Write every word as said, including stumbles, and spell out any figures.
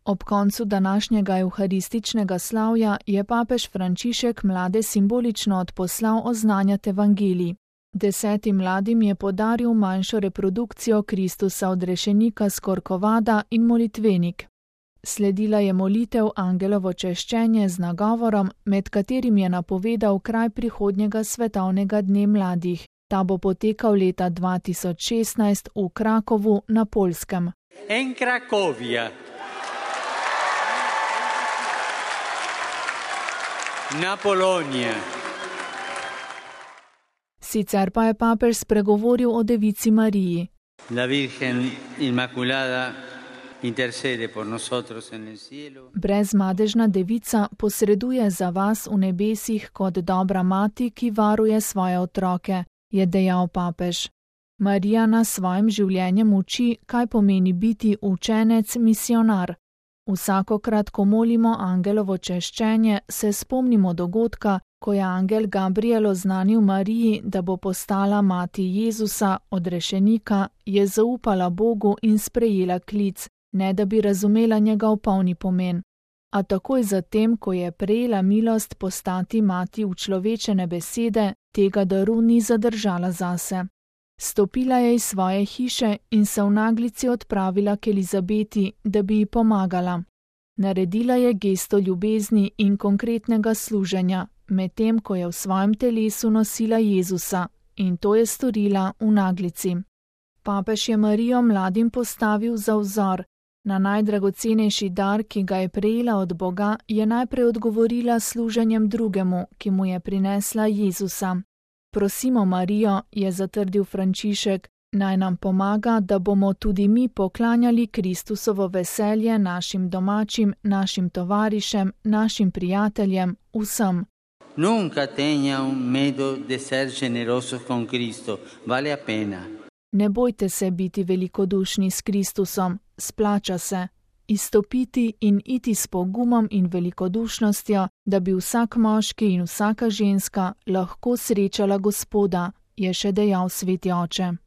Ob koncu današnjega evharističnega slavja je papež Frančišek mlade simbolično odposlal oznanjati evangelij. Desetim mladim je podaril manjšo reprodukcijo Kristusa odrešenika s Korkovada in molitvenik. Sledila je molitev Angelovo češčenje z nagovorom, med katerim je napovedal kraj prihodnjega svetovnega dne mladih. Ta bo potekal leta dva tisoč šestnajst v Krakovu na Poljskem. En Cracovia. Na Polonija. Sicer pa je papež spregovoril o Devici Mariji. La Virgen Inmaculada intercede por nosotros en el cielo. Brezmadežna devica posreduje za vas v nebesih kot dobra mati, ki varuje svoje otroke, je dejal papež. Marija nas svojim življenjem uči, kaj pomeni biti učenec misionar. Vsakokrat, ko molimo Angelovo češčenje, se spomnimo dogodka, ko je angel Gabriel oznanil Mariji, da bo postala mati Jezusa, odrešenika, je zaupala Bogu in sprejela klic, ne da bi razumela njegov polni pomen. A takoj zatem, ko je prejela milost postati mati učlovečene besede, tega daru ni zadržala zase. Stopila je iz svoje hiše in se v naglici odpravila k Elizabeti, da bi ji pomagala. Naredila je gesto ljubezni in konkretnega služenja, medtem ko je v svojem telesu nosila Jezusa, in to je storila v naglici. Papež je Marijo mladim postavil za vzor. Na najdragocenejši dar, ki ga je prejela od Boga, je najprej odgovorila služenjem drugemu, ki mu je prinesla Jezusa. Prosimo Marijo, je zatrdil Frančišek, naj nam pomaga, da bomo tudi mi poklanjali Kristusovo veselje našim domačim, našim tovarišem, našim prijateljem, vsem. Nunca tengan miedo de ser generosos con Cristo, vale a pena. Ne bojte se biti velikodušni s Kristusom, splača se. Izstopiti in iti s pogumom in velikodušnostjo, da bi vsak moški in vsaka ženska lahko srečala Gospoda, je še dejal sveti oče.